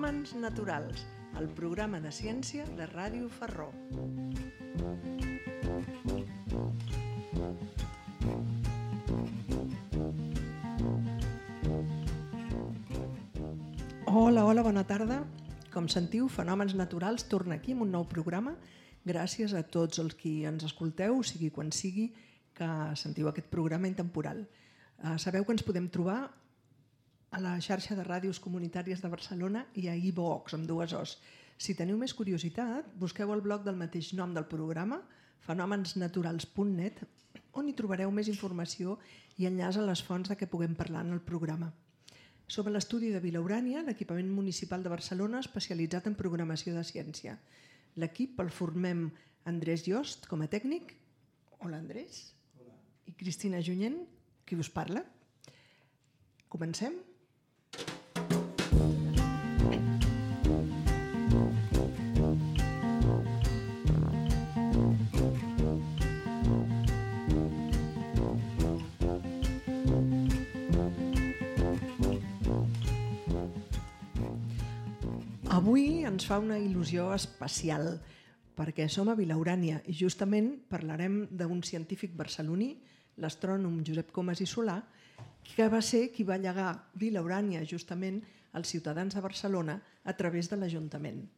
Fenòmens naturals, el programa de ciència de Ràdio Ferró. Hola, bona tarda. Com sentiu, Fenòmens naturals torna aquí amb un nou programa. Gràcies a tots els qui ens escolteu, sigui quan sigui que sentiu aquest programa intemporal. Sabeu que ens podem trobar a la xarxa de ràdios comunitàries de Barcelona i a iVox, amb dues O's. Si teniu més curiositat, busqueu el blog del mateix nom del programa, fenomensnaturals.net, on hi trobareu més informació i enllaç a les fonts de què puguem parlar en el programa. Som a l'estudi de Vila Urània, l'equipament municipal de Barcelona especialitzat en programació de ciència. L'equip el formem Andrés Yost com a tècnic. Hola, Andrés. Hola. I Cristina Junyent, qui us parla. Comencem? Avui ens fa una il·lusió especial perquè som a Vila Urània i justament parlarem d'un científic barceloní, l'astrònom Josep Comas i Solà, que va ser qui va llegar Vila Urània justament als ciutadans de Barcelona a través de l'Ajuntament.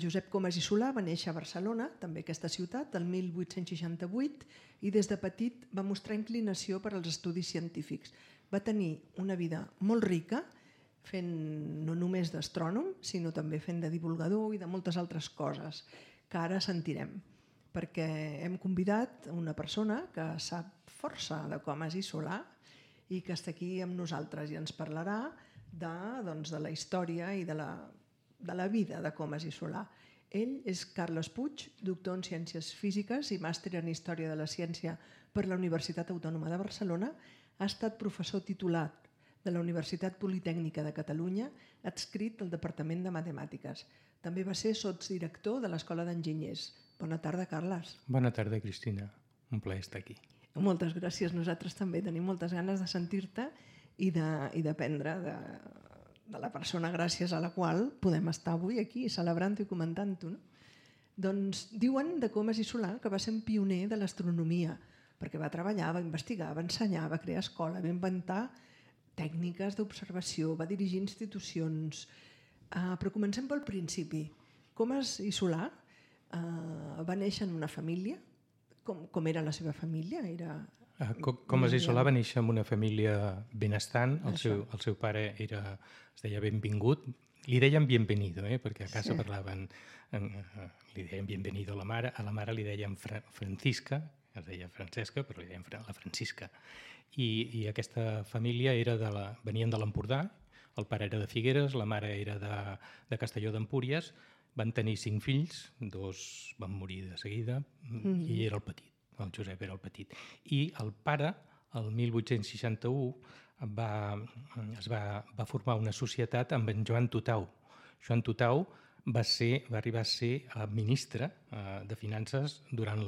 Josep Comas i Solà va néixer a Barcelona, també aquesta ciutat, el 1868, i des de petit va mostrar inclinació per als estudis científics. Va tenir una vida molt rica, fent no només d'astrònom, sinó també fent de divulgador i de moltes altres coses que ara sentirem, perquè hem convidat una persona que sap força de Comas i Solà i que està aquí amb nosaltres i ens parlarà de la història i de la vida de Comas i Solà. Ell és Carles Puig, doctor en Ciències Físiques i màster en Història de la Ciència per la Universitat Autònoma de Barcelona. Ha estat professor titulat de la Universitat Politècnica de Catalunya, adscrit al Departament de Matemàtiques. També va ser sotsdirector de l'Escola d'Enginyers. Bona tarda, Carles. Bona tarda, Cristina. Un plaer estar aquí. Moltes gràcies. Nosaltres també tenim moltes ganes de sentir-te i d'aprendre de la persona gràcies a la qual podem estar avui aquí celebrant-ho i comentant-ho. Doncs diuen de Comas i Solà que va ser un pioner de l'astronomia, perquè va treballar, va investigar, va ensenyar, va crear escola, va inventar tècniques d'observació, va dirigir institucions. Però comencem pel principi. Comas i Solà va néixer en una família. Com era la seva família? Comas i Solà va néixer en una família benestant. El seu pare es deia Benvingut. Li deien Bienvenido, perquè a casa parlaven... Li deien Bienvenido a la mare li deien Francisca, es deia Francesca, però li deien la Francisca. I aquesta família venien de l'Empordà, el pare era de Figueres, la mare era de Castelló d'Empúries, van tenir 5 fills, 2 van morir de seguida, i era el petit, el Josep era el petit. I el pare, el 1861, va formar una societat amb en Joan Tutau. Joan Tutau va arribar a ser ministre de Finances durant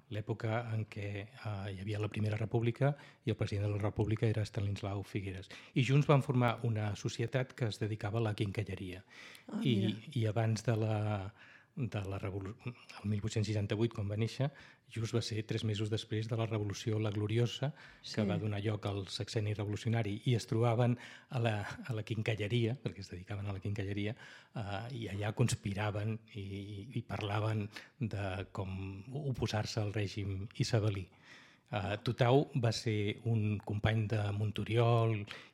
l'època en què hi havia la Primera República i el president de la República era Estanislau Figueres. I junts van formar una societat que es dedicava a la quincalleria. I abans el 1868, quan va néixer, just va ser 3 mesos després de la Revolució La Gloriosa, que va donar lloc al sexenni revolucionari, i es trobaven a la quincalleria, perquè es dedicaven a la quincalleria, i allà conspiraven i parlaven de com oposar-se al règim isabelí. Tutau va ser un company de Montoriol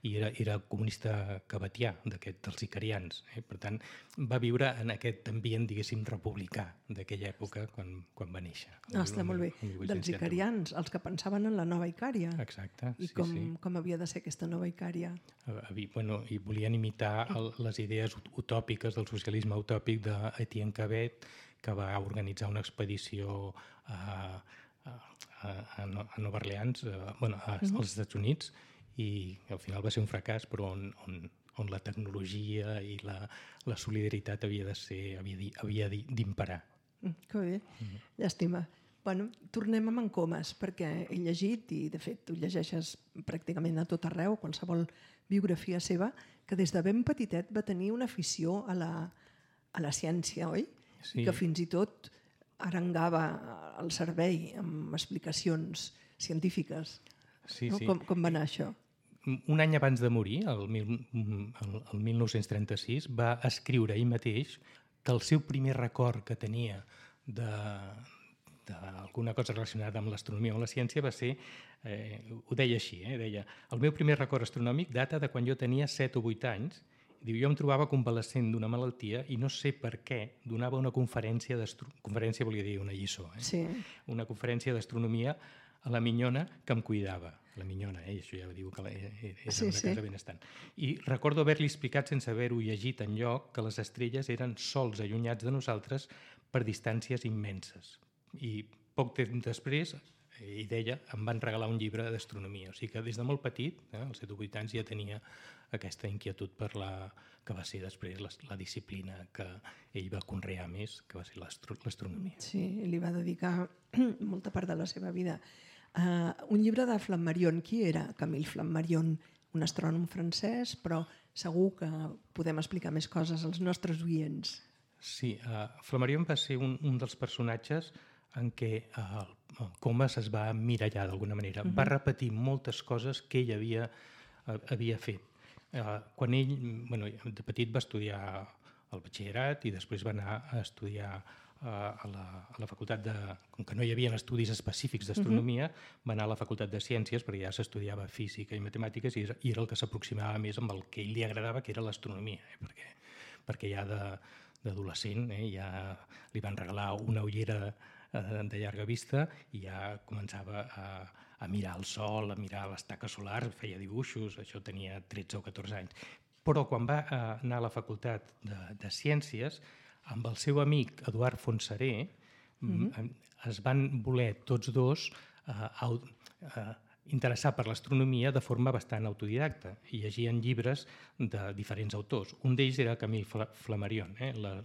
i era comunista cabatià, dels icarians. Per tant, va viure en aquest ambient, diguéssim, republicà d'aquella època quan va néixer. Està molt bé. Dels icarians, els que pensaven en la nova Icària. Exacte. I com havia de ser aquesta nova Icària? I volien imitar les idees utòpiques del socialisme utòpic d'Etienne Cabet, que va organitzar una expedició a Nova Orleans, als Estats Units, i al final va ser un fracàs, però on la tecnologia i la solidaritat havia d'imperar. Que bé, llàstima. Bueno, tornem a Mancomas, perquè he llegit, i de fet ho llegeixes pràcticament a tot arreu, qualsevol biografia seva, que des de ben petitet va tenir una afició a la ciència, oi? Sí. Que fins i tot arengava el servei amb explicacions científiques. Sí, no? sí. Com va anar això? Un any abans de morir, el 1936, va escriure ell mateix que el seu primer record que tenia d'alguna cosa relacionada amb l'astronomia o amb la ciència va ser, ho deia així, deia: el meu primer record astronòmic data de quan jo tenia 7 o 8 anys. Diu, jo em trobava convalescent d'una malaltia i no sé per què donava una conferència conferència volia dir una lliçó, Sí. una conferència d'astronomia a la minyona que em cuidava. La minyona, això ja diu que era Sí, una sí. casa benestant. I recordo haver-li explicat, sense haver-ho llegit enlloc, que les estrelles eren sols allunyats de nosaltres per distàncies immenses. I poc temps després, ell deia, em van regalar un llibre d'astronomia. O sigui que des de molt petit, als 7 o 8 anys, ja tenia aquesta inquietud per que va ser després la disciplina que ell va conrear més, que va ser l'astronomia. Sí, li va dedicar molta part de la seva vida. Un llibre de Flammarion. Qui era Camille Flammarion? Un astrònom francès, però segur que podem explicar més coses als nostres oients. Sí, Flammarion va ser un dels personatges en què Comas es va emmirallar d'alguna manera. Va repetir moltes coses que ell havia fet. Quan ell, de petit, va estudiar el batxillerat i després va anar a estudiar a la facultat com que no hi havia estudis específics d'astronomia, va anar a la facultat de ciències perquè ja s'estudiava física i matemàtiques i era el que s'aproximava més amb el que ell li agradava, que era l'astronomia, perquè ja d'adolescent ja li van regalar una ullera de llarga vista i ja començava a mirar el sol, a mirar les taques solars, feia dibuixos, això tenia 13 o 14 anys. Però quan va anar a la facultat de ciències, amb el seu amic Eduard Fontseré, es van voler tots dos interessar per l'astronomia de forma bastant autodidacta i llegien llibres de diferents autors. Un d'ells era Camille Flammarion,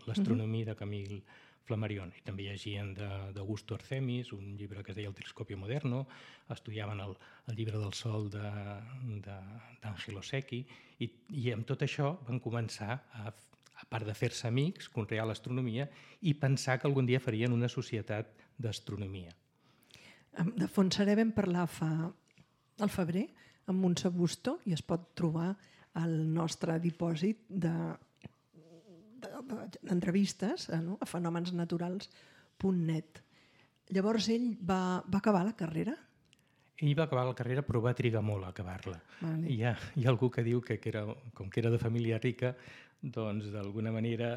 l'astronomia de Camille Flammarion. I també llegien d'Augusto Artemis, un llibre que es deia El telescopio moderno, estudiaven el llibre del sol d'Angelo Secchi i amb tot això van començar a part de fer-se amics, conrear l'astronomia i pensar que algun dia farien una societat d'astronomia. De Fontseré vam parlar al febrer amb Montse Busto i es pot trobar al nostre dipòsit d'entrevistes a fenomensnaturals.net. Llavors ell va acabar la carrera? Ell va acabar la carrera però va trigar molt a acabar-la. Vale. Hi ha algú que diu que com que era de família rica, doncs d'alguna manera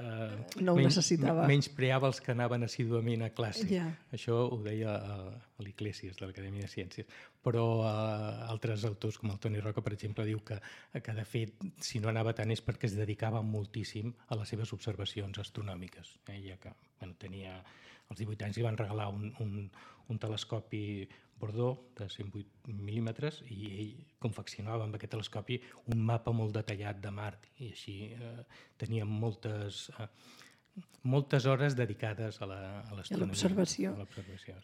no necessitava. Menyspreava els que anaven assíduament a classe. Ja. Això ho deia a l'Iglesias, de l'Acadèmia de Ciències. Però altres autors, com el Toni Roca, per exemple, diu que de fet, si no anava tant és perquè es dedicava moltíssim a les seves observacions astronòmiques. Ja que tenia als 18 anys li van regalar un telescopi Bordeaux de 108 mil·límetres i ell confeccionava amb aquest telescopi un mapa molt detallat de Mart i així tenia moltes hores dedicades a l'astronomia. A l'observació.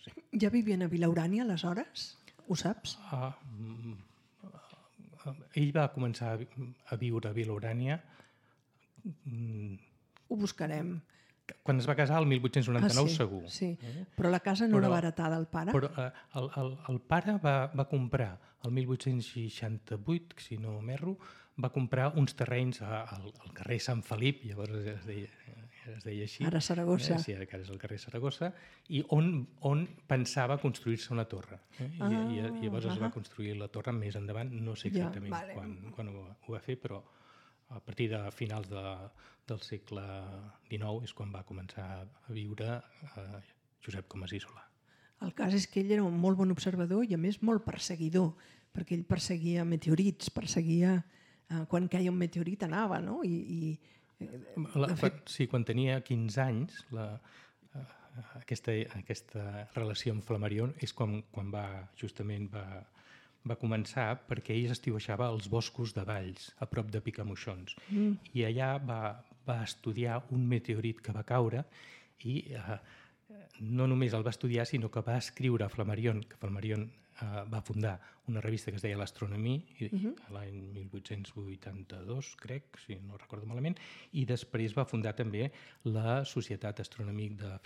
Sí. Ja vivien a Vilaurània aleshores? Ho saps? Ell va començar a viure a Vilaurània. Ho buscarem. Quan es va casar, el 1899, segur. Sí, però la casa no la va heretar del pare? Però el pare va comprar, el 1868, si no m'erro, va comprar uns terrenys al carrer Sant Felip, llavors es deia així. Ara Saragossa. Sí, ara és el carrer Saragossa, i on pensava construir-se una torre. I llavors es va construir la torre més endavant, no sé exactament quan ho va fer, però a partir de finals del segle XIX és quan va començar a viure Josep Comas i Solà. El cas és que ell era un molt bon observador i a més molt perseguidor, perquè ell perseguia meteorits, perseguia quan queia un meteorit anava, no? Sí, quan tenia 15 anys, aquesta relació amb Flammarion és quan justament va començar, perquè ell estiuejava als boscos de Valls, a prop de Picamoixons. I allà va estudiar un meteorit que va caure i no només el va estudiar, sinó que va escriure a Flammarion, que Flammarion va fundar una revista que es deia l'Astronomie l'any 1882, crec, si no recordo malament, i després va fundar també la Societat Astronòmica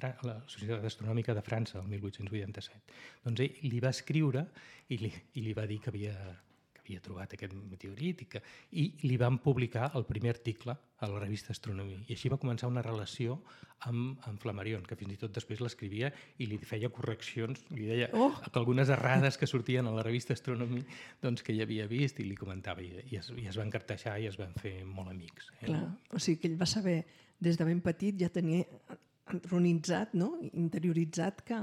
de França, el 1887. Doncs ell li va escriure i li va dir que havia trobat aquest meteorit i li van publicar el primer article a la revista Astronomia. I així va començar una relació amb Flammarion, que fins i tot després l'escrivia i li feia correccions, li deia que algunes errades que sortien a la revista Astronomia doncs, que hi havia vist i li comentava i es van carteixar i es van fer molt amics. Clar, o sigui que ell va saber des de ben petit, ja tenia entronitzat, no? Interioritzat que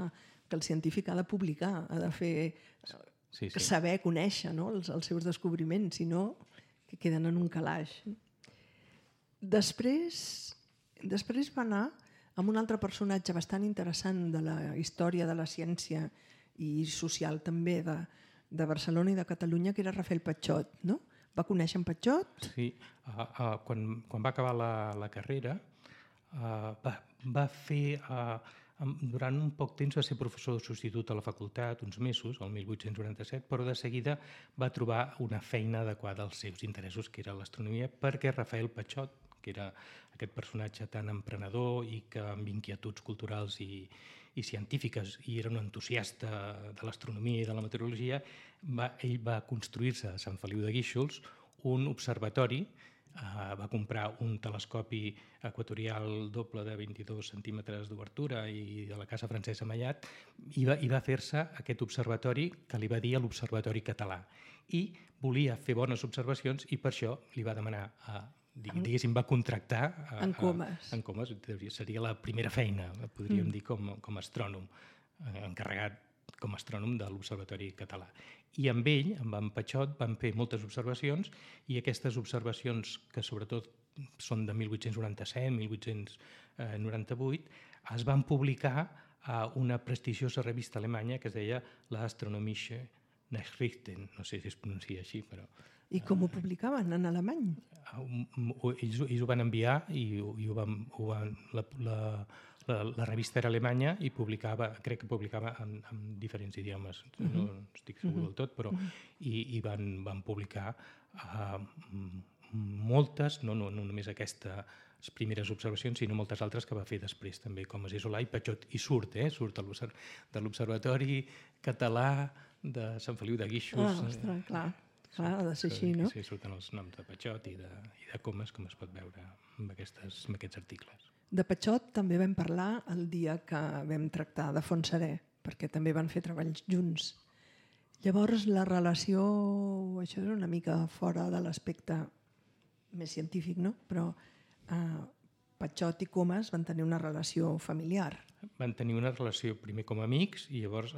el científic ha de publicar, ha de fer... Sí. Saber conèixer, no? els seus descobriments, si no, que queden en un calaix. Després va anar amb un altre personatge bastant interessant de la història de la ciència i social també de Barcelona i de Catalunya, que era Rafael Patxot, no? Va conèixer en Patxot? Sí, quan va acabar la carrera va fer... Durant un poc temps va ser professor substitut a la facultat, uns mesos, el 1897, però de seguida va trobar una feina adequada als seus interessos, que era l'astronomia, perquè Rafael Patxot, que era aquest personatge tan emprenedor i que amb inquietuds culturals i científiques, i era un entusiasta de l'astronomia i de la meteorologia, ell va construir-se a Sant Feliu de Guíxols un observatori. Va comprar un telescopi equatorial doble de 22 centímetres d'obertura i de la Casa Francesa Mallat i va fer-se aquest observatori que li va dir l'Observatori Català. I volia fer bones observacions i per això li va demanar, diguéssim, va contractar en Comas. En Comas, seria la primera feina, podríem dir, com a astrònom, encarregat com a astrònom de l'Observatori Català. I amb ell, amb en Patxot, van fer moltes observacions i aquestes observacions, que sobretot són de 1897, 1898, es van publicar a una prestigiosa revista alemanya que es deia l'Astronomische Nachrichten, no sé si es pronuncia així, però... I com ho publicaven en alemany? Ells ho van enviar i la revista era alemanya i crec que publicava en diferents idiomes, no estic segur del tot, però i van publicar moltes, no només aquestes primeres observacions, sinó moltes altres que va fer després també, com es Solà i Patxot, i surt de l'Observatori Català de Sant Feliu de Guíxols. Ostres, clar, ha de ser així, no? Sí, surten els noms de Patxot i de Comas, com es pot veure amb aquests articles. De Patxot també vam parlar el dia que vam tractar de Fontserè, perquè també van fer treballs junts. Llavors, la relació, això és una mica fora de l'aspecte més científic, no? Però Patxot i Comas van tenir una relació familiar. Van tenir una relació primer com a amics i llavors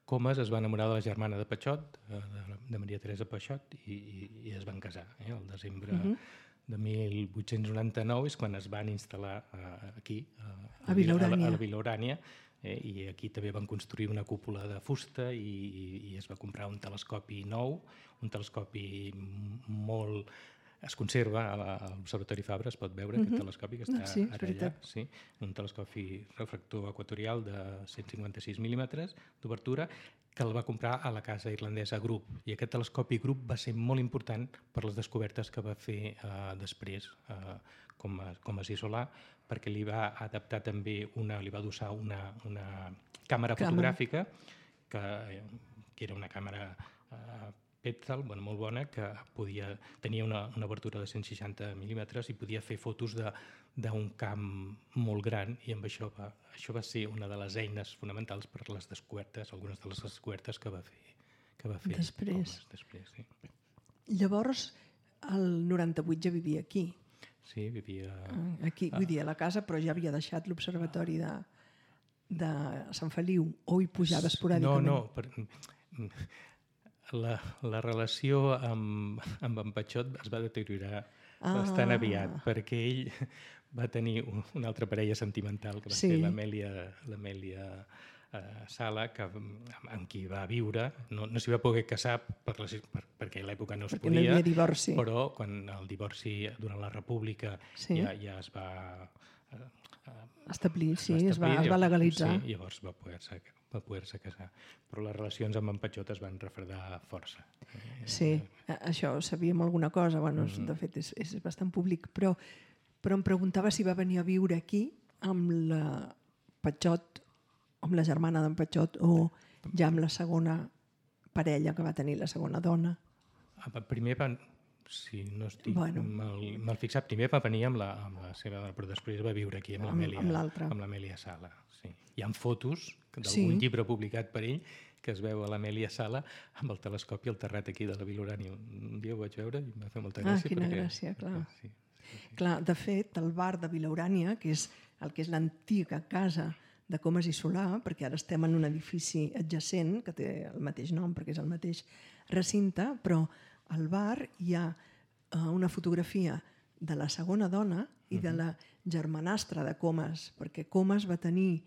Comas es va enamorar de la germana de Patxot, de Maria Teresa Patxot, i es van casar. El desembre de 1899 és quan es van instal·lar aquí, a Vilaurània, i aquí també van construir una cúpula de fusta i es va comprar un telescopi nou, un telescopi molt... Es conserva a l'Observatori Fabra, es pot veure aquest telescopi que està ara allà. Sí, un telescopi refractor equatorial de 156 mil·límetres d'obertura que el va comprar a la casa irlandesa Grup. I aquest telescopi Grup va ser molt important per les descobertes que va fer després com a Solà, perquè li va adaptar també li va adossar una càmera fotogràfica que era una càmera Petzl, molt bona, que tenia una obertura de 160 mil·límetres i podia fer fotos d'un camp molt gran, i amb això va ser una de les eines fonamentals per les descobertes, algunes de les descobertes que va fer després. Sí. Llavors, el 98 ja vivia aquí. Sí, vivia... Aquí, vull dir, a la casa, però ja havia deixat l'observatori de Sant Feliu, o hi pujava esporàdicament? No. La relació amb en Patxot es va deteriorar bastant aviat, perquè ell va tenir una altra parella sentimental, que va ser l'Amèlia Sala, amb qui va viure. No s'hi va poder casar perquè a l'època no es podia, no hi havia divorci. Però quan el divorci durant la República ja es va establir, sí, es va legalitzar. Sí, llavors va poder-se casar. Però les relacions amb en Patxot es van refredar força. Sí, això sabíem alguna cosa, bueno, de fet és bastant públic, però em preguntava si va venir a viure aquí amb la Patxot, amb la germana d'en Patxot, o ja amb la segona parella que va tenir, la segona dona. Primer van, si no estic mal fixat, primer va venir amb la seva dona, però després va viure aquí amb l'Amèlia Sala. Sí. Hi ha fotos d'algun llibre publicat per ell que es veu a l'Amèlia Sala amb el telescopi al terrat aquí de la Vila Urània. Un dia ho vaig veure i em va fer molta gràcia. Quina gràcia, clar. Clar, de fet, el bar de Vila Urània, que és el que és l'antiga casa de Comas i Solà, perquè ara estem en un edifici adjacent, que té el mateix nom, perquè és el mateix recinte, però al bar hi ha una fotografia de la segona dona i de la germanastra de Comas, perquè Comas va tenir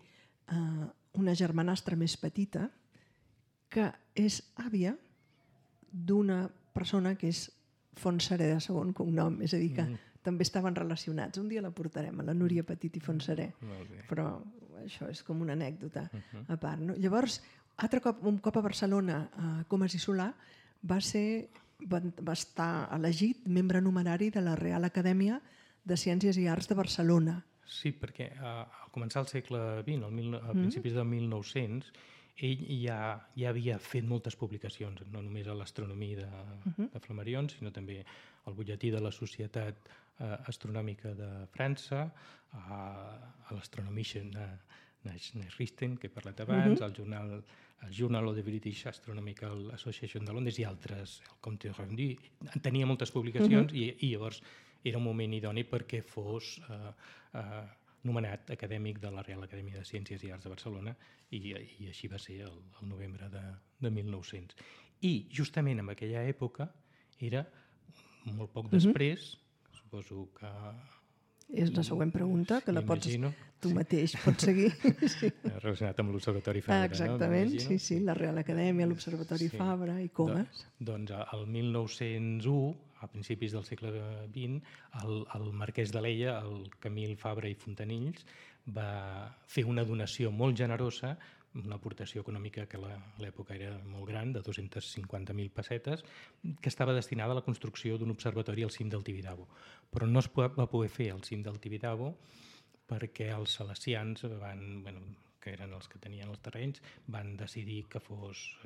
una germanastra més petita que és àvia d'una persona que és Fontserè de segon cognom, és a dir, que també estaven relacionats. Un dia la portarem, a la Núria Petit i Fontserè, però això és com una anècdota a part. No? Llavors, un cop a Barcelona, a Comas i Solà, va estar elegit membre numerari de la Real Acadèmia de Ciències i Arts de Barcelona. Sí, perquè al començar el segle XX, a principis del 1900, ell ja havia fet moltes publicacions, no només a l'Astronomia de Flammarion, sinó també al butlletí de la Societat Astronòmica de França, a l'Astronomische Nachrichten, que he parlat abans, al Journal of the British Astronomical Association de Londres i altres, el Compte Rendu. Tenia moltes publicacions i llavors era un moment idoni perquè fos nomenat acadèmic de la Real Acadèmia de Ciències i Arts de Barcelona i així va ser el novembre de 1900. I justament en aquella època era molt poc després, suposo que... És la següent pregunta, que la pots... Tu mateix pots seguir. Relacionat amb l'Observatori Fabra. Exactament, sí, la Real Acadèmia, l'Observatori Fabra i Comas. Doncs el 1901, a principis del segle XX, el marquès d'Alella, el Camil Fabra i Fontanills, va fer una donació molt generosa, una aportació econòmica que a l'època era molt gran, de 250.000 pessetes, que estava destinada a la construcció d'un observatori al cim del Tibidabo. Però no es va poder fer al cim del Tibidabo perquè els salesians, que eren els que tenien els terrenys, van decidir que fos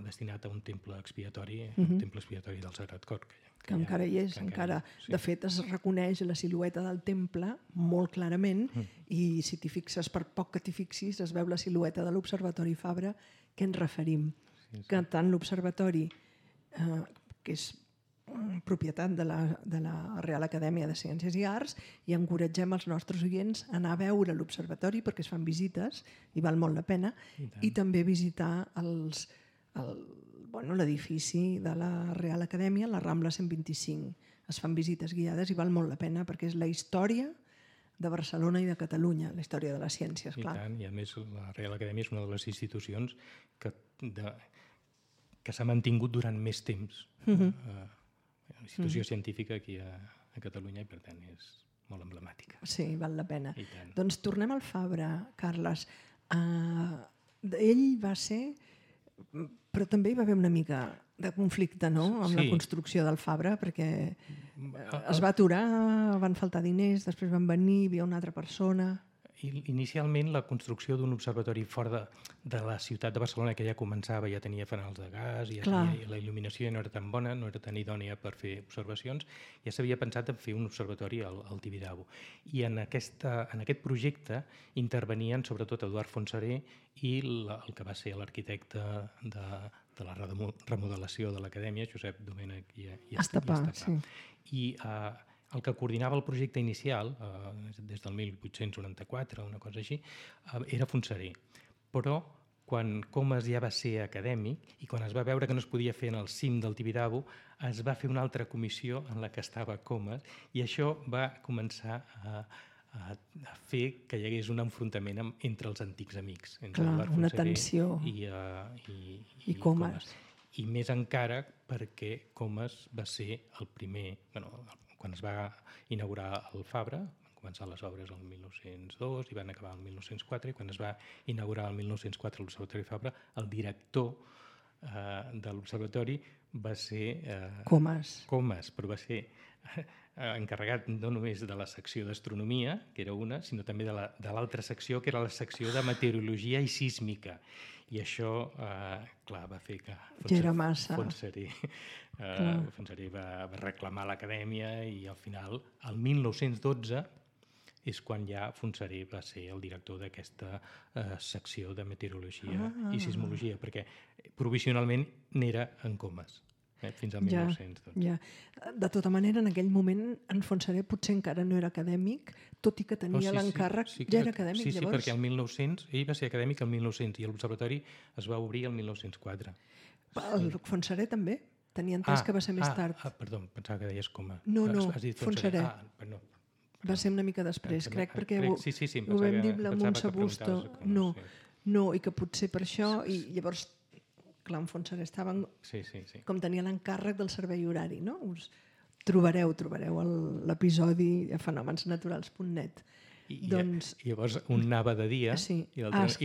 destinat a un temple expiatori, un temple expiatori del Sagrat Cor. Que encara hi és, encara. De fet, es reconeix la silueta del temple molt clarament i si t'hi fixes, per poc que t'hi fixis, es veu la silueta de l'Observatori Fabra que ens referim. Que tant l'Observatori, que és propietat de la Real Acadèmia de Ciències i Arts, i encoratgem els nostres oients a anar a veure l'Observatori perquè es fan visites i val molt la pena, i també visitar l'edifici de la Real Acadèmia, la Rambla 125. Es fan visites guiades i val molt la pena perquè és la història de Barcelona i de Catalunya, la història de les ciències, clar. I tant, i a més la Real Acadèmia és una de les institucions que s'ha mantingut durant més temps. Una institució científica aquí a Catalunya i per tant és molt emblemàtica. Sí, val la pena. Doncs tornem al Fabra, Carles. Ell va ser... Però també hi va haver una mica de conflicte, no?, amb la construcció del Fabra, perquè es va aturar, van faltar diners, després van venir, hi havia una altra persona... Inicialment, la construcció d'un observatori fora de la ciutat de Barcelona, que ja començava, ja tenia fanals de gas, la il·luminació ja no era tan bona, no era tan idònia per fer observacions, ja s'havia pensat en fer un observatori al Tibidabo. I en aquest projecte intervenien sobretot Eduard Fontserè i el que va ser l'arquitecte de la remodelació de l'Acadèmia, Josep Domènech i Estapà. I el que coordinava el projecte inicial, des del 1894, una cosa així, era Fontserè. Però quan Comas ja va ser acadèmic i quan es va veure que no es podia fer en el cim del Tibidabo, es va fer una altra comissió en la que estava Comas i això va començar a fer que hi hagués un enfrontament entre els antics amics, entre una tensió i Comas. I més encara perquè Comas va ser el primer, quan es va inaugurar el Fabra, van començar les obres el 1902 i van acabar el 1904, i quan es va inaugurar el 1904 l'Observatori Fabra, el director de l'observatori va ser Comas, però va ser encarregat no només de la secció d'astronomia, que era una, sinó també de l'altra secció, que era la secció de meteorologia i sísmica. I això, clar, va fer que Fontserè va reclamar l'acadèmia, i al final, el 1912, és quan ja Fontserè va ser el director d'aquesta secció de meteorologia i sismologia, perquè provisionalment n'era en Comas, fins al 1912. Ja. De tota manera, en aquell moment, en Fontserè potser encara no era acadèmic, tot i que tenia l'encàrrec, ja era acadèmic, llavors. Sí, perquè el 1900, ell va ser acadèmic el 1900 i l'observatori es va obrir el 1904. El Fontserè també? Tenia entès que va ser més tard. Perdó, pensava que deies Comas. No, Fontserè. Va ser una mica després, crec, perquè ho vam dir amb Montse Busto. No, i que potser per això, i llavors, clar, en Fontserè estaven, com tenia l'encàrrec del servei horari, no? Us trobareu l'episodi a fenomensnaturals.net. I llavors un anava de dia i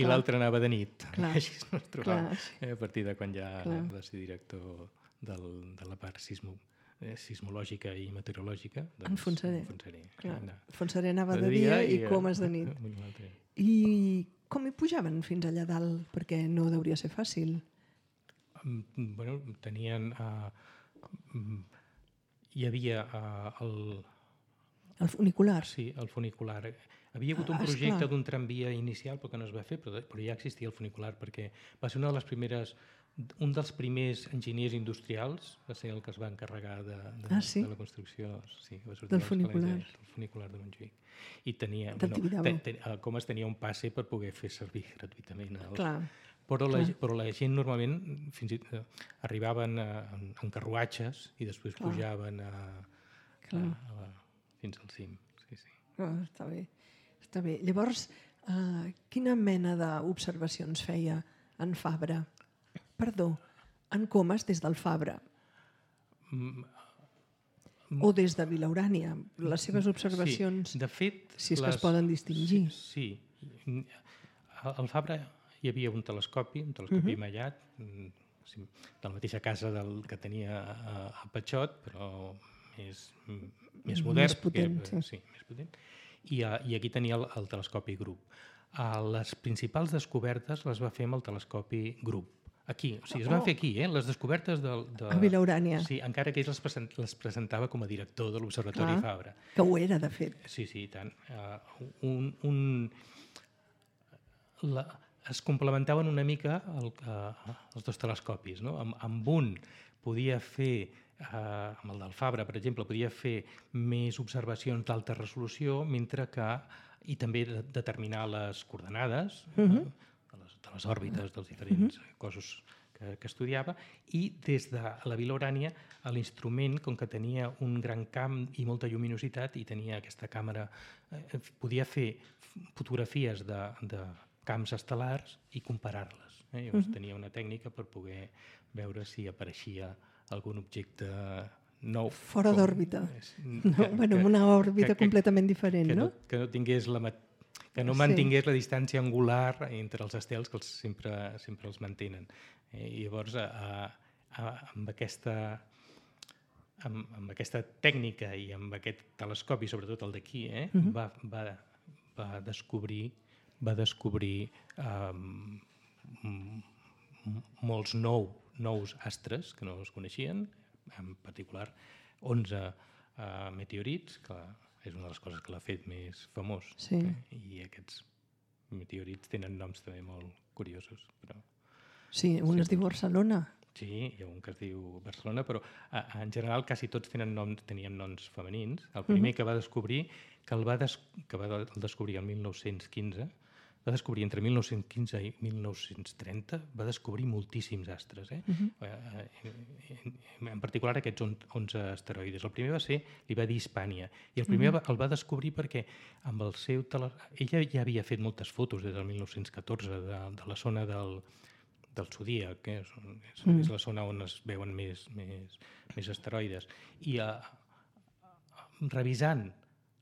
l'altre anava de nit. Així no es trobava a partir de quan ja va ser director de la part sismològica i meteorològica. En Fontserè. Fontserè anava de dia i Comas de nit. I com hi pujaven fins allà dalt? Perquè no hauria ser fàcil. Bueno, tenien... Hi havia el funicular. Sí, el funicular. Havia hagut un projecte d'un tramvia inicial, però que no es va fer, però ja existia el funicular, perquè va ser un dels primers enginyers industrials, va ser el que es va encarregar de la construcció del funicular. Del funicular de Montjuïc. I tenia, Comas tenia un passe per poder fer servir gratuïtament. Però la gent normalment arribaven en carruatges i després pujaven fins al cim. Està bé. Llavors, quina mena d'observacions feia en Fabra? Perdó, en Comas des del Fabra? O des de Vilaurània? Les seves observacions, de fet, si és que es poden distingir. Sí. Al Fabra hi havia un telescopi immediat, de la mateixa casa que tenia a Patxot, però més modern. Més potent, sí. Més potent. I aquí tenia el telescopi Grup. Les principals descobertes les va fer amb el telescopi Grup. Aquí, o sigui, es van fer aquí, les descobertes a Vilaurània. Sí, encara que ell les presentava com a director de l'Observatori Fabra. Que ho era, de fet. Sí, i tant. Es complementaven una mica els dos telescopis, no? Amb un podia fer, amb el del Fabra, per exemple, podia fer més observacions d'alta resolució, mentre que, i també determinar les coordenades de les òrbites dels diferents cossos que estudiava, i des de la Vilaurània l'instrument, com que tenia un gran camp i molta lluminositat i tenia aquesta càmera, podia fer fotografies de camps estel·lars i comparar-les. Llavors tenia una tècnica per poder veure si apareixia algun objecte nou. Fora d'òrbita. Amb una òrbita completament diferent, no? Que no tingués que no mantingués la distància angular entre els estels, que sempre els mantenen. I llavors, amb aquesta tècnica i amb aquest telescopi, sobretot el d'aquí, va descobrir molts nous astres que no es coneixien, en particular 11 meteorits, que és una de les coses que l'ha fet més famós. I aquests meteorits tenen noms també molt curiosos. Sí, un es diu Barcelona. Sí, hi ha un que es diu Barcelona, però en general quasi tots tenien noms femenins. El primer que va descobrir, que va descobrir el 1915, va descobrir entre 1915 i 1930, va descobrir moltíssims astres. En particular aquests 11 asteroides. El primer li va dir Hispània, i el primer el va descobrir perquè amb el seu ella ja havia fet moltes fotos des del 1914 de la zona del Zodíac, que és la zona on es veuen més asteroides, i revisant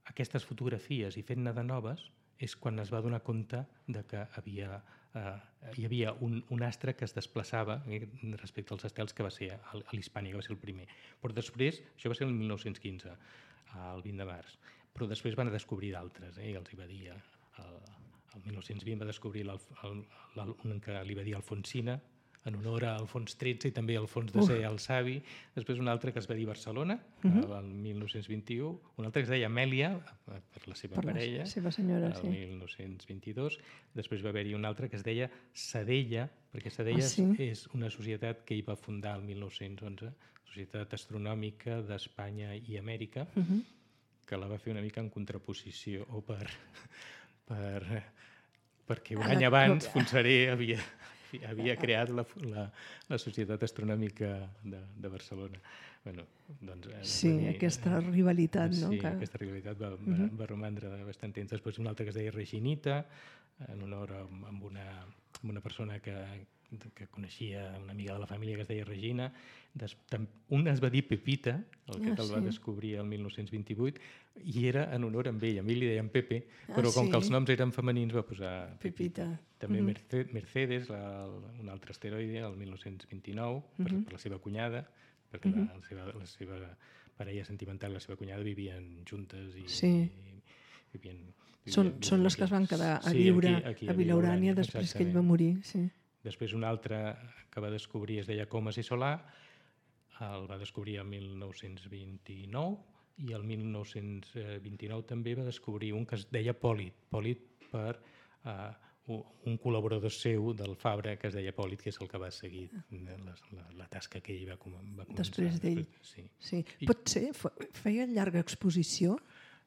aquestes fotografies i fent-ne de noves és quan es va donar compte de que hi havia un astre que es desplaçava respecte als estels, que va ser l'Hispània, que va ser el primer. Però després, això va ser el 1915, el 20 de març, però després van descobrir d'altres, i els hi va dir, el 1920 va descobrir un que li va dir Alfonsina, en honor a Alfons XIII i també Alfons X el Savi, després un altre que es va dir Barcelona, el 1921, un altre que es deia Amèlia, per la seva parella, la seva senyora, el 1922, després va haver-hi un altre que es deia Sedella, perquè Sedella és una societat que hi va fundar el 1911, Societat Astronòmica d'Espanya i Amèrica, que la va fer una mica en contraposició, o perquè un any abans Fontserè havia creat la Societat Astronòmica de Barcelona. Bueno, doncs, aquesta rivalitat, no? Sí, aquesta rivalitat va romandre bastant temps. Després un altre que es deia Reginita, en honor a una persona que coneixia, una amiga de la família que es deia Regina. Un es va dir Pepita, el va descobrir el 1928, i era en honor a ell li deien Pepe, però com que els noms eren femenins va posar Pepita. També Mercedes, un altre asteroide, el 1929, per la seva cunyada, perquè la seva parella sentimental i la seva cunyada vivien juntes i vivien... Són les que es van quedar a viure a Vilaurània després que ell va morir. Després un altre que va descobrir es deia Comas i Solà, el va descobrir el 1929, i el 1929 també va descobrir un que es deia Pòlit per un col·laborador seu del Fabra que es deia Pòlit, que és el que va seguir la tasca que ell va començar. Després d'ell. Sí. Potser feia llarga exposició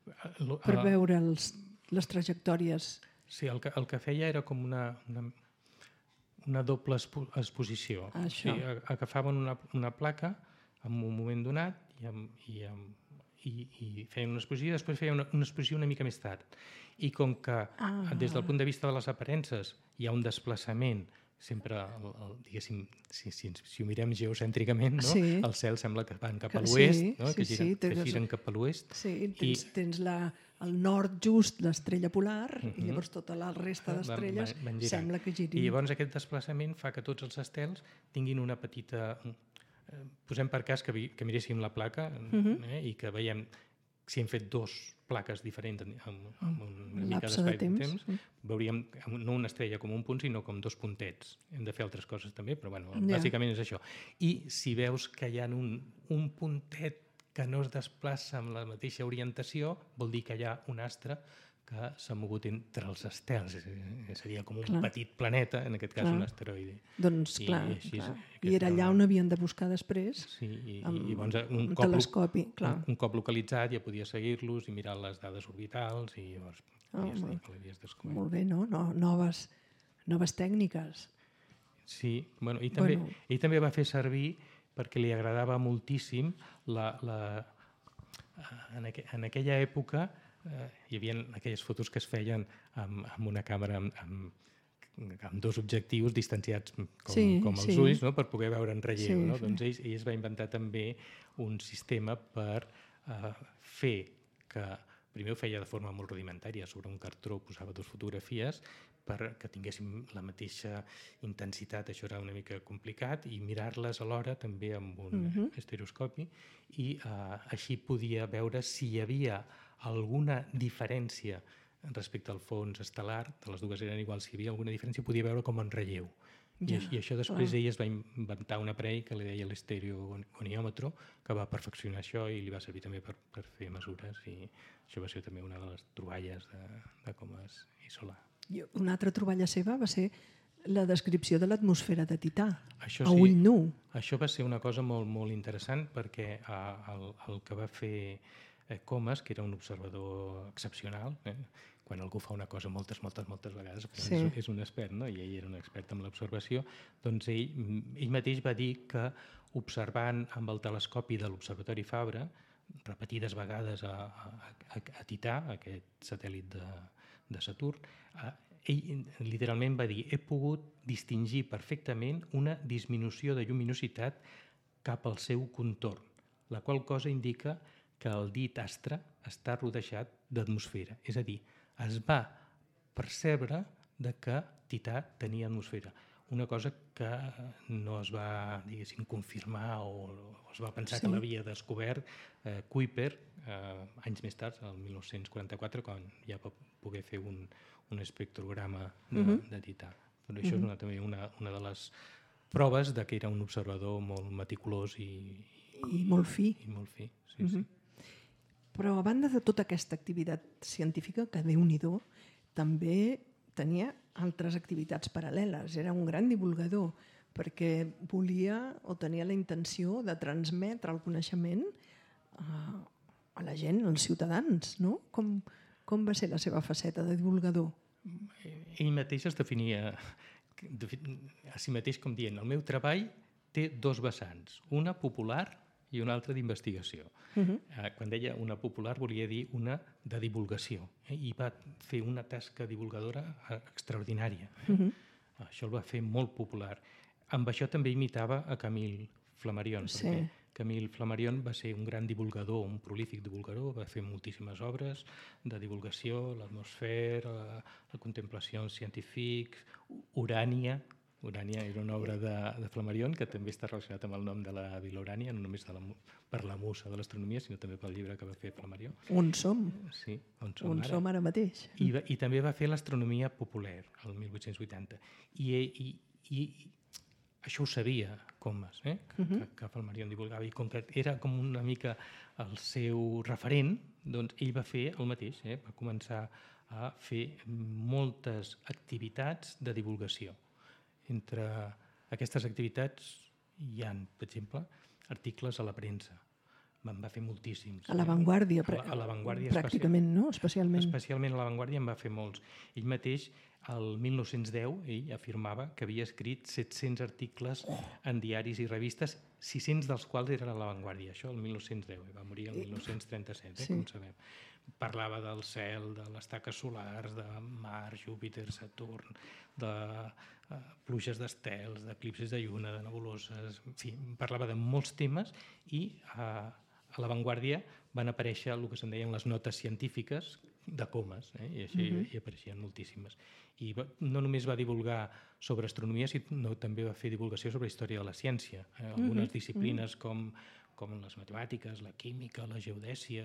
per veure les trajectòries. Sí, el que feia era com una doble exposició. Agafaven una placa en un moment donat i feien una exposició, i després feien una exposició una mica més tard. I com que des del punt de vista de les aparences hi ha un desplaçament, sempre, diguéssim, si ho mirem geocèntricament, el cel sembla que van cap a l'oest, que giren cap a l'oest. Sí, tens el nord just, l'estrella polar, i llavors tota la resta d'estrelles sembla que girin. I llavors aquest desplaçament fa que tots els estels tinguin una petita... Posem per cas que miréssim la placa i que veiem si hem fet dos plaques diferents amb una mica d'espai de temps, veuríem no una estrella com un punt, sinó com dos puntets. Hem de fer altres coses també, però bàsicament és això. I si veus que hi ha un puntet que no es desplaça amb la mateixa orientació, vol dir que hi ha un astre que s'ha mogut entre els estels. Seria com un petit planeta, en aquest cas un asteroide. Doncs clar, i era allà on havien de buscar després, amb un telescopi. Un cop localitzat ja podia seguir-los i mirar les dades orbitals i llavors l'havies descobert. Molt bé, no? Noves tècniques. Sí, ell també va fer servir, perquè li agradava moltíssim, en aquella època hi havia aquelles fotos que es feien amb una càmera amb dos objectius distanciats com els ulls, per poder veure en relleu. Doncs ell es va inventar també un sistema per fer que... Primer ho feia de forma molt rudimentària, sobre un cartró posava dues fotografies perquè tinguéssim la mateixa intensitat, això era una mica complicat, i mirar-les alhora també amb un estereoscopi, i així podia veure si hi havia alguna diferència respecte al fons estel·lar, de les dues eren iguals, si hi havia alguna diferència podia veure com en relleu. I això després ell es va inventar un aparell que li deia l'estereogoniòmetre, que va perfeccionar això i li va servir també per fer mesures, i això va ser també una de les troballes de Comas i Solà. Una altra troballa seva va ser la descripció de l'atmosfera de Tità, a ull nu. Això va ser una cosa molt, molt interessant, perquè el que va fer Comas, que era un observador excepcional, quan algú fa una cosa moltes vegades, és un expert, i ell era un expert en l'observació, doncs ell mateix va dir que observant amb el telescopi de l'Observatori Fabra, repetides vegades a Tità, aquest satèl·lit de Saturn, ell literalment va dir: he pogut distingir perfectament una disminució de lluminositat cap al seu contorn, la qual cosa indica que el dit astre està rodejat d'atmosfera. És a dir, es va percebre que Tità tenia atmosfera. Una cosa que no es va, diguéssim, confirmar o es va pensar que l'havia descobert Kuiper anys més tard, el 1944, quan ja va poder fer un espectrograma de Tità. Però això és també una de les proves de que era un observador molt meticulós i molt fi. I molt fi, sí. Però a banda de tota aquesta activitat científica, que Déu-n'hi-do, també tenia altres activitats paral·leles. Era un gran divulgador perquè volia o tenia la intenció de transmetre el coneixement a la gent, als ciutadans, no? Com va ser la seva faceta de divulgador? Ell mateix es definia a si mateix com dient: el meu treball té dos vessants, una popular i una altra d'investigació. Quan deia una popular volia dir una de divulgació, i va fer una tasca divulgadora extraordinària. Això el va fer molt popular. Amb això també imitava a Camille Flammarion, perquè Camille Flammarion va ser un gran divulgador, un prolífic divulgador, va fer moltíssimes obres de divulgació, l'atmosfera, la contemplació científica, Urània. Urània era una obra de Flammarion que també està relacionat amb el nom de la Vila Urània, no només per la musa de l'astronomia, sinó també pel llibre que va fer Flammarion. On som? Sí, on som ara mateix. I també va fer l'astronomia popular, el 1880. I això ho sabia Comas, que Flammarion divulgava, i com que era com una mica el seu referent, doncs ell va fer el mateix, va començar a fer moltes activitats de divulgació. Entre aquestes activitats hi ha, per exemple, articles a la premsa. En va fer moltíssims. A l'avantguàrdia, pràcticament, no? Especialment. Especialment a l'avantguàrdia en va fer molts. Ell mateix, el 1910, ell afirmava que havia escrit 700 articles en diaris i revistes, 600 dels quals eren a l'avantguàrdia. Això el 1910, va morir el 1937, com sabem. Parlava del cel, de les taques solars, de Mars, Júpiter, Saturn, de pluges d'estels, d'eclipsis de lluna, de nebuloses... En fi, parlava de molts temes i a l'avantguàrdia van aparèixer el que se'n deien les notes científiques de Comas, i així hi apareixien moltíssimes. I no només va divulgar sobre astronomia, sinó també va fer divulgació sobre història de la ciència. Algunes disciplines com les matemàtiques, la química, la geodèsia,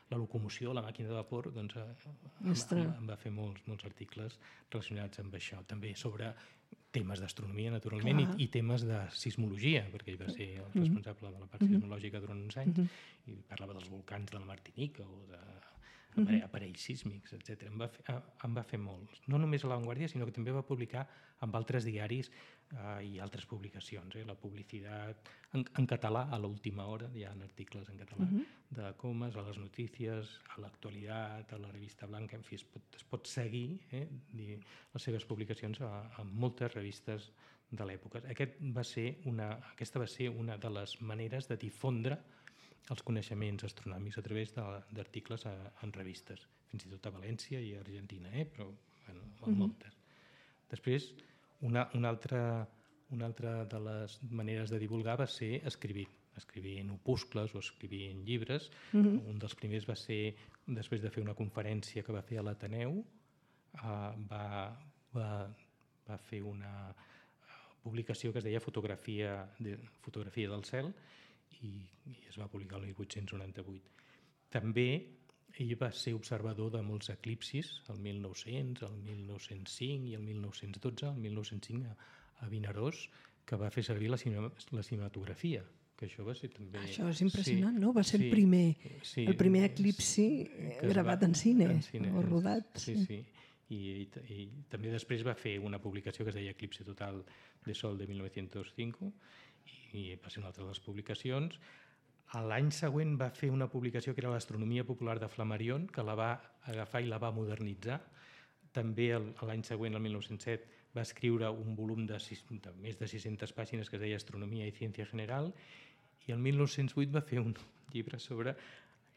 la locomoció, la màquina de vapor, doncs en va fer molts articles relacionats amb això. També sobre temes d'astronomia, naturalment, i temes de sismologia, perquè ell va ser el responsable de la part sismològica durant uns anys, i parlava dels volcans de la Martinica o d'aparells sísmics, etc. En va fer molts. No només a l'avantguàrdia, sinó que també va publicar amb altres diaris i altres publicacions. La publicitat en català, a l'última hora, hi ha articles en català de Comas, a les notícies, a l'actualitat, a la revista Blanca, en fi, es pot seguir les seves publicacions en moltes revistes de l'època. Aquesta va ser una de les maneres de difondre els coneixements astronòmics a través d'articles en revistes, fins i tot a València i a Argentina, però moltes. Després, una altra de les maneres de divulgar va ser escrivir en opuscles o escrivir en llibres. Un dels primers va ser, després de fer una conferència que va fer a l'Ateneu, va fer una publicació que es deia Fotografia del cel, i es va publicar el 1898. També ell va ser observador de molts eclipsis, el 1900, el 1905 i el 1912. El 1905 a Vinaròs, que va fer servir la cinematografia, que això va ser també... Això és impressionant, no? Va ser el primer eclipsi gravat en cine, o rodat. Sí. I també després va fer una publicació que es deia Eclipse Total de Sol de 1905, i va ser una altra de les publicacions. L'any següent va fer una publicació que era l'Astronomia Popular de Flammarion, que la va agafar i la va modernitzar. També l'any següent, el 1907, va escriure un volum de més de 600 pàgines que es deia Astronomia i Ciència General, i el 1908 va fer un llibre sobre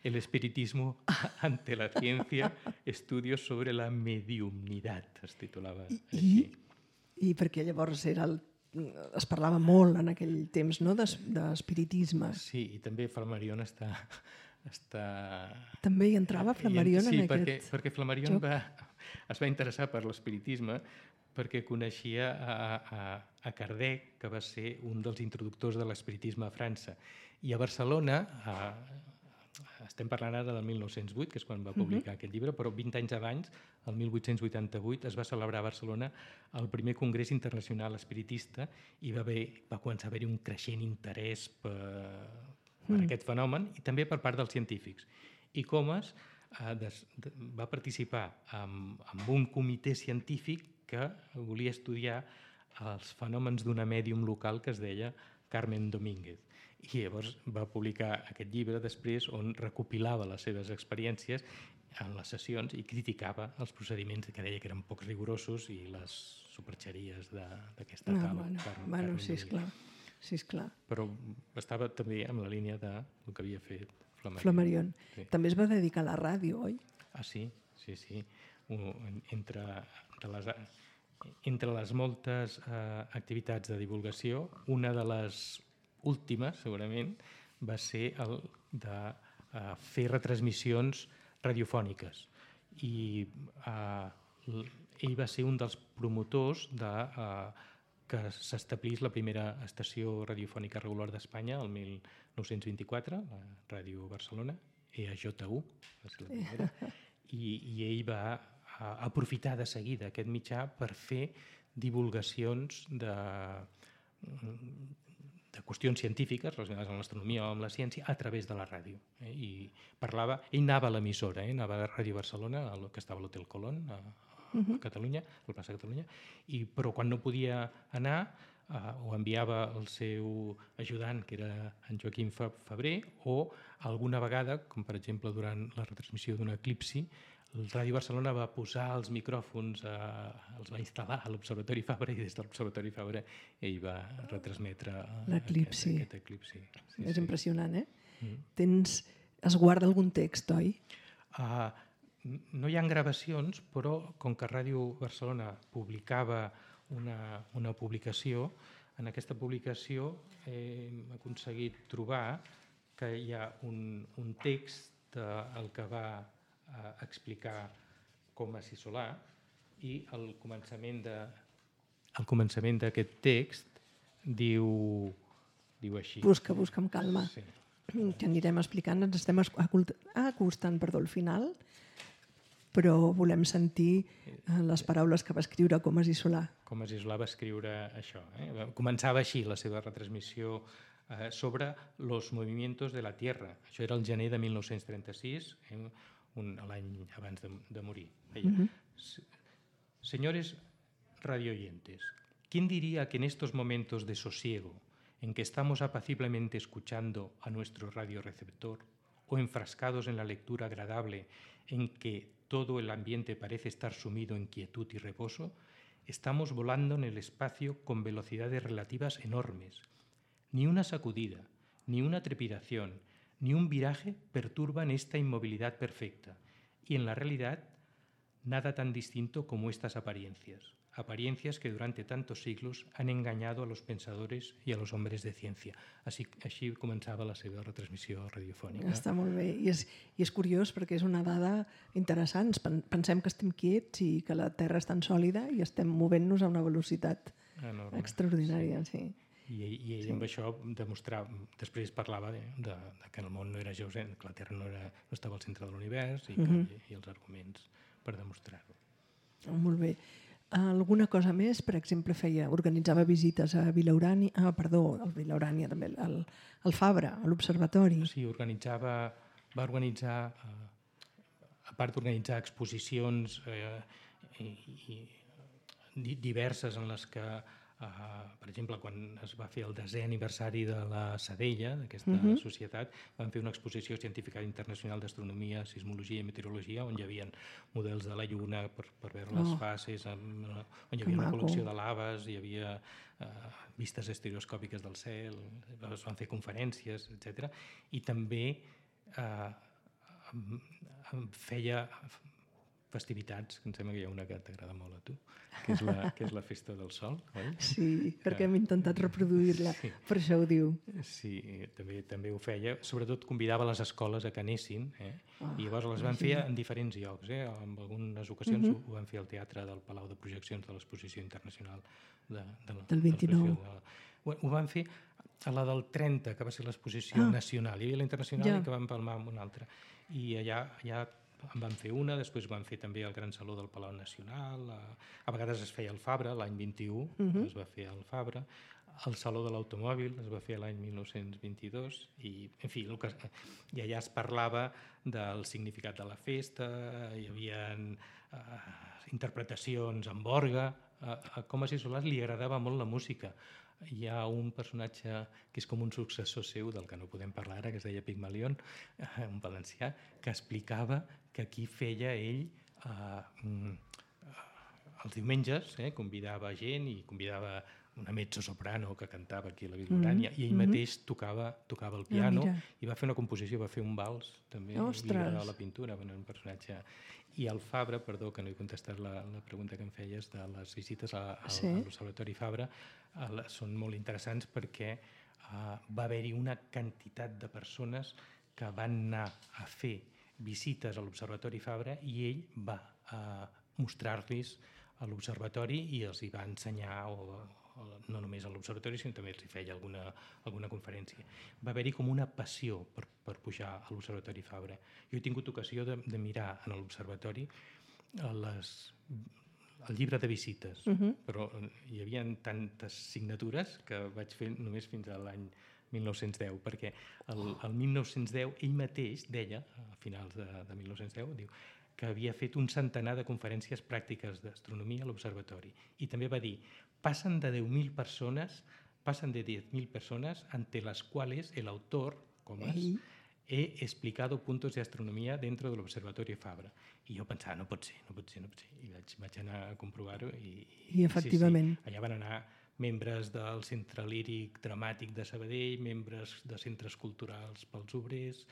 el espiritismo ante la ciencia, estudios sobre la mediumnidad, es titulava així. I perquè llavors es parlava molt en aquell temps, no?, d'espiritisme. Sí, i també Flammarion està També hi entrava Flammarion en aquest... Sí, perquè Flammarion es va interessar per l'espiritisme perquè coneixia a Kardec, que va ser un dels introductors de l'espiritisme a França. I a Barcelona, estem parlant ara del 1908, que és quan va publicar aquest llibre, però 20 anys abans, el 1888, es va celebrar a Barcelona el primer Congrés Internacional Espiritista i va començar a haver-hi un creixent interès per aquest fenomen i també per part dels científics. I Comas va participar en un comitè científic que volia estudiar els fenòmens d'una mèdium local que es deia Carmen Domínguez. I llavors va publicar aquest llibre després on recopilava les seves experiències en les sessions i criticava els procediments que deia que eren poc rigorosos i les superxeries d'aquesta tal. Bueno, sí, esclar. Però estava també en la línia del que havia fet Flammarion. Sí. També es va dedicar a la ràdio, oi? Sí. Entre les moltes activitats de divulgació, una de les últimes, segurament, va ser el de fer retransmissions radiofòniques. I ell va ser un dels promotors que s'establís la primera estació radiofònica regular d'Espanya el 1924, la Ràdio Barcelona, EAJU, va ser la primera, i ell va aprofitar de seguida aquest mitjà per fer divulgacions de qüestions científiques relacionades amb l'astronomia o amb la ciència a través de la ràdio. I parlava, ell anava a l'emissora, anava a Ràdio Barcelona, que estava a l'Hotel Colón, a Catalunya, a la plaça de Catalunya, però quan no podia anar o enviava el seu ajudant, que era en Joaquim Febrer, o alguna vegada, com per exemple durant la retransmissió d'un eclipsi, el Ràdio Barcelona va posar els micròfons, els va instal·lar a l'Observatori Fabra i des de l'Observatori Fabra ell va retransmetre aquest eclipsi. És impressionant, eh? Es guarda algun text, oi? No hi ha gravacions, però com que Ràdio Barcelona publicava una publicació, en aquesta publicació hem aconseguit trobar que hi ha un text el que va explicar Comas i Solà i al començament d'aquest text diu així. Busca amb calma. Sí. Que anirem explicant, ens estem acostant al final, però volem sentir les paraules que va escriure Comas i Solà. Comas i Solà va escriure això. Començava així la seva retransmissió sobre los movimientos de la Tierra. Això era el gener de 1936, l'any abans de morir. Señores radioyentes, ¿quién diría que en estos momentos de sosiego, en que estamos apaciblemente escuchando a nuestro radioreceptor o enfrascados en la lectura agradable en que todo el ambiente parece estar sumido en quietud y reposo, estamos volando en el espacio con velocidades relativas enormes? Ni una sacudida, ni una trepidación, ni un viraje perturban esta inmovilidad perfecta, y en la realidad nada tan distinto como estas apariencias que durante tantos siglos han engañado a los pensadores y a los hombres de ciencia. Així començava la seva retransmissió radiofònica. Està molt bé, i és curiós perquè és una dada interessant. Pensem que estem quiets i que la Terra és tan sòlida i estem movent-nos a una velocitat extraordinària, sí. I ell amb això demostrava, després parlava que el món no era geocèntric, que la Terra no estava al centre de l'univers i els arguments per demostrar-ho. Molt bé. Alguna cosa més? Per exemple, organitzava visites a Vilaurània, al Vilaurània també, al Fabra, a l'Observatori. Sí, va organitzar, a part d'organitzar exposicions diverses en les que per exemple, quan es va fer el 10è aniversari de la Sadella, d'aquesta societat, van fer una exposició científica internacional d'astronomia, sismologia i meteorologia, on hi havia models de la Lluna per veure les fases, on hi havia una col·lecció de laves, hi havia vistes estereoscòpiques del cel, es van fer conferències, etc. I també feia festivitats, que em sembla que hi ha una que t'agrada molt a tu, que és la Festa del Sol, oi? Sí, perquè hem intentat reproduir-la, per això ho diu. Sí, també ho feia. Sobretot convidava les escoles a que anessin, i llavors les van fer en diferents llocs. En algunes ocasions ho van fer al Teatre del Palau de Projeccions de l'Exposició Internacional del 29. Ho van fer a la del 30, que va ser l'exposició nacional. Hi havia la internacional i que van palmar amb una altra. I allà en van fer una, després van fer també el Gran Saló del Palau Nacional, a vegades es feia al Fabra, l'any 21 es va fer al Fabra, el Saló de l'Automòbil es va fer l'any 1922, i en fi, i allà es parlava del significat de la festa, hi havia interpretacions amb orgue. A Comas i Solàs li agradava molt la música. Hi ha un personatge que és com un successor seu, del que no podem parlar ara, que es deia Pigmalión, un valencià, que explicava que aquí feia ell els diumenges, convidava gent i convidava una mezzosoprano que cantava aquí a la Vilaurània, i ell mateix tocava el piano i va fer una composició, va fer un vals també, i li agradava la pintura, un personatge. I el Fabra, perdó que no he contestat la pregunta que em feies de les visites a l'Observatori Fabra, són molt interessants perquè va haver-hi una quantitat de persones que van anar a fer visites a l'Observatori Fabra i ell va mostrar-los a l'Observatori i els hi va ensenyar, no només a l'Observatori, sinó també els hi feia alguna conferència. Va haver-hi com una passió per pujar a l'Observatori Fabra. Jo he tingut ocasió de mirar en l'Observatori el llibre de visites, però hi havia tantes signatures que vaig fer només fins a l'any 1910, perquè el 1910 ell mateix deia, a finals de 1910, diu que havia fet un centenar de conferències pràctiques d'astronomia a l'observatori. I també va dir, pasan de 10.000 personas ante las cuales el autor, Comas, he explicado puntos de astronomía dentro del Observatorio Fabra. I jo pensava, no pot ser. I vaig anar a comprovar-ho. I efectivament. Sí. Allà van anar membres del Centre Líric Dramàtic de Sabadell, membres de centres culturals pels obrers,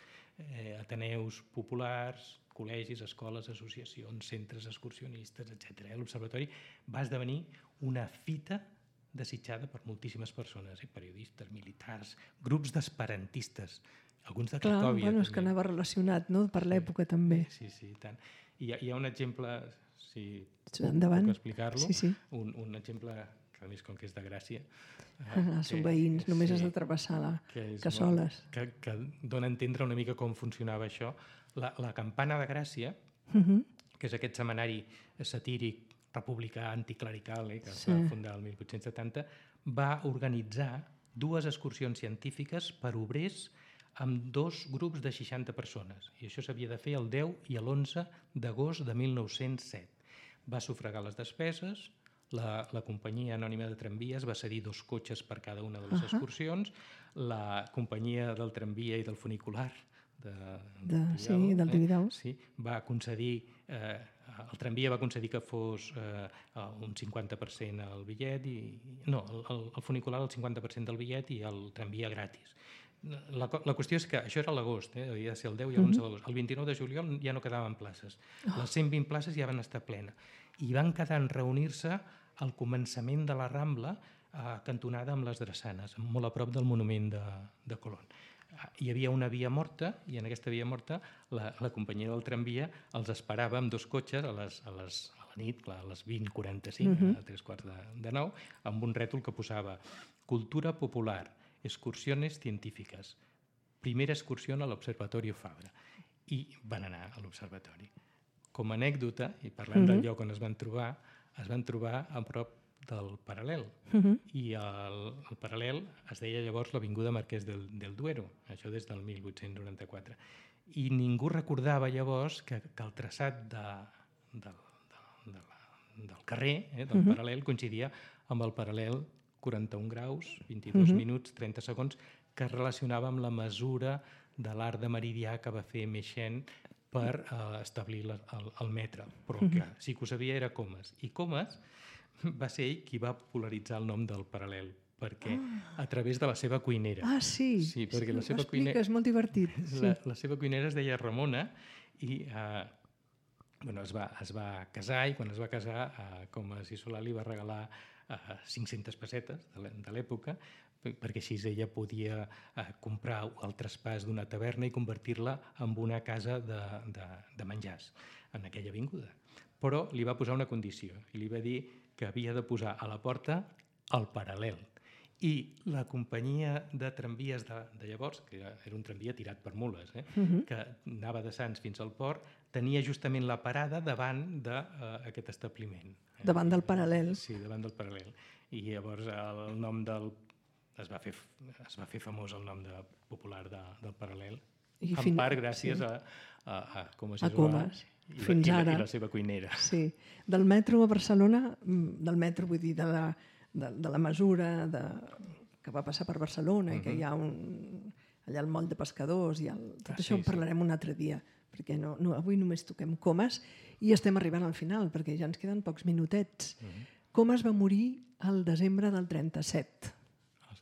ateneus populars, col·legis, escoles, associacions, centres excursionistes, etc. L'Observatori va esdevenir una fita desitjada per moltíssimes persones, periodistes, militars, grups d'esperantistes, alguns de Cracòvia. Clar, és que anava relacionat, no?, per l'època també. Sí, tant. Hi ha un exemple, si puc explicar-lo, un exemple que a més com que és de Gràcia. Són veïns, només has de travessar la Cassoles. Que dona a entendre una mica com funcionava això. La Campana de Gràcia, que és aquest setmanari satíric republicà anticlerical que es va fundar el 1870, va organitzar 2 excursions científiques per obrers amb 2 grups de 60 persones. I això s'havia de fer el 10 i l'11 d'agost de 1907. Va sufragar les despeses, la companyia anònima de tramvies va cedir 2 cotxes per cada una de les excursions, la companyia del tramvia i del funicular del Tibidabo, va concedir, el tramvia va concedir que fos un 50% el bitllet, el funicular el 50% del bitllet i el tramvia gratis. La qüestió és que això era a l'agost, havia de ser el 10 i l'11 d'agost. El 29 de juliol ja no quedaven places. Les 120 places ja van estar plenes. I van quedar en reunir-se al començament de la Rambla, cantonada amb les Drassanes, molt a prop del monument de Colón. Hi havia una via morta i en aquesta via morta la companyia del tramvia els esperava amb 2 cotxes a la nit, a les 20:45, a 8:45, amb un rètol que posava Cultura Popular, Excursiones Científiques, primera excursió a l'Observatorio Fabra. I van anar a l'observatori. Com a anècdota, i parlant del lloc on es van trobar a prop del Paral·lel. I el Paral·lel es deia llavors l'Avinguda Marquès del Duero, això des del 1894. I ningú recordava llavors que el traçat del carrer, del Paral·lel, coincidia amb el Paral·lel 41 graus, 22 minuts, 30 segons, que es relacionava amb la mesura de l'arc de meridià que va fer Meixen per establir el metre. Però que sí que ho sabia era Comas. I Comas va ser ell qui va popularitzar el nom del Paral·lel, perquè a través de la seva cuinera. Sí, perquè la seva explica, és molt divertit. La seva cuinera es deia Ramona i es va casar, i quan es va casar, Comas i Solà li va regalar 500 pessetes de l'època, perquè així ella podia comprar el traspàs d'una taverna i convertir-la en una casa de menjars en aquella avinguda. Però li va posar una condició i li va dir que havia de posar a la porta el paral·lel. I la companyia de tramvies de llavors, que era un tramvia tirat per mules, que anava de Sants fins al port, tenia justament la parada davant d'aquest establiment. Davant del paral·lel. Sí, davant del paral·lel. I llavors el nom es va fer famós el nom popular del paral·lel, en part gràcies a Comas i Solà i la seva cuinera. Sí, del metro a Barcelona, del metro vull dir, de la mesura que va passar per Barcelona i que hi ha allà el moll de pescadors i tot això en parlarem un altre dia, perquè avui només toquem Comas i estem arribant al final perquè ja ens queden pocs minutets. Comas va morir al desembre del 37.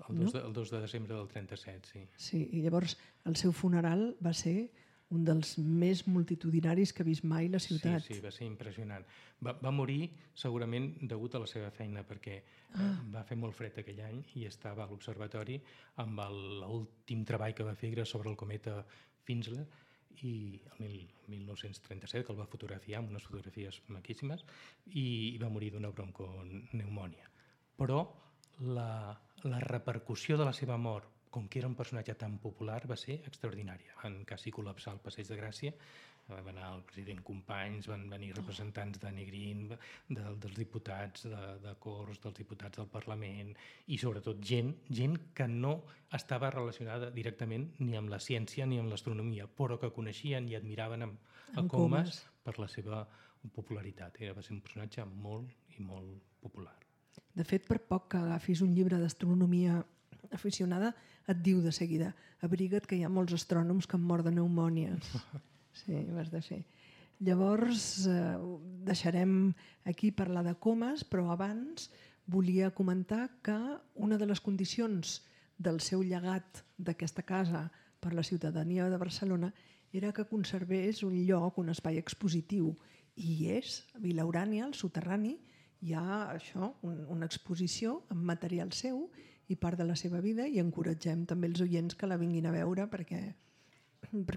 El 2 de desembre del 37, sí. Sí, i llavors el seu funeral va ser un dels més multitudinaris que ha vist mai la ciutat. Sí, va ser impressionant. Va morir segurament degut a la seva feina, perquè va fer molt fred aquell any i estava a l'observatori amb l'últim treball que va fer sobre el cometa Finsler, i el 1937, que el va fotografiar amb unes fotografies maquíssimes, i va morir d'una broncopneumònia. Però la repercussió de la seva mort, com que era un personatge tan popular, va ser extraordinària. Van quasi col·lapsar el Passeig de Gràcia, va anar el president Companys, van venir representants de Negrín, dels diputats de Corts, dels diputats del Parlament, i sobretot gent que no estava relacionada directament ni amb la ciència ni amb l'astronomia, però que coneixien i admiraven a Comas per la seva popularitat. Va ser un personatge molt i molt popular. De fet, per poc que agafis un llibre d'astronomia aficionada, et diu de seguida: abriga't que hi ha molts astrònoms que han mort de pneumònies. Sí, ho has de fer. Llavors, deixarem aquí parlar de Comas, però abans volia comentar que una de les condicions del seu llegat d'aquesta casa per la ciutadania de Barcelona era que conservés un lloc, un espai expositiu. I és, a Vila Urània, al soterrani, hi ha això, una exposició amb material seu i part de la seva vida, i encoratgem també els oients que la vinguin a veure perquè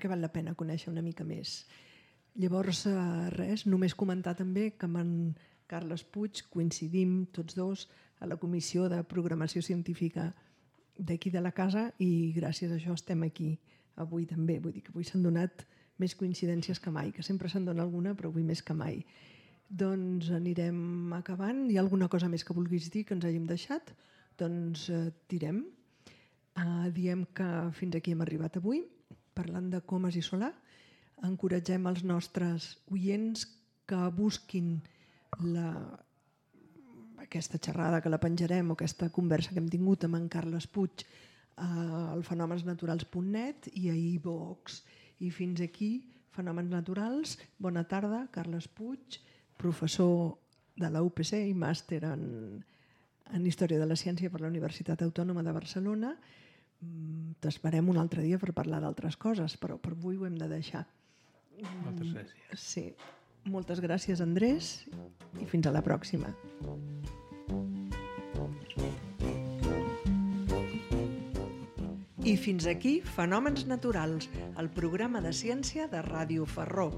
val la pena conèixer una mica més. Llavors, res, només comentar també que amb en Carles Puig coincidim tots dos a la Comissió de Programació Científica d'aquí de la casa i gràcies a això estem aquí avui també. Vull dir que avui s'han donat més coincidències que mai, que sempre se'n dona alguna, però avui més que mai. Doncs anirem acabant. Hi ha alguna cosa més que vulguis dir que ens hàgim deixat? Doncs tirem. Diem que fins aquí hem arribat avui, parlant de Comas i Solà. Encoratgem els nostres oients que busquin aquesta xerrada que la penjarem o aquesta conversa que hem tingut amb en Carles Puig al fenomensnaturals.net i a iVox. I fins aquí, Fenòmens Naturals. Bona tarda, Carles Puig, professor de la UPC i màster en Història de la Ciència per la Universitat Autònoma de Barcelona. T'esperem un altre dia per parlar d'altres coses, però per avui ho hem de deixar. Moltes gràcies. Sí. Moltes gràcies, Andrés, i fins a la pròxima. I fins aquí Fenòmens Naturals, el programa de ciència de Ràdio Ferró.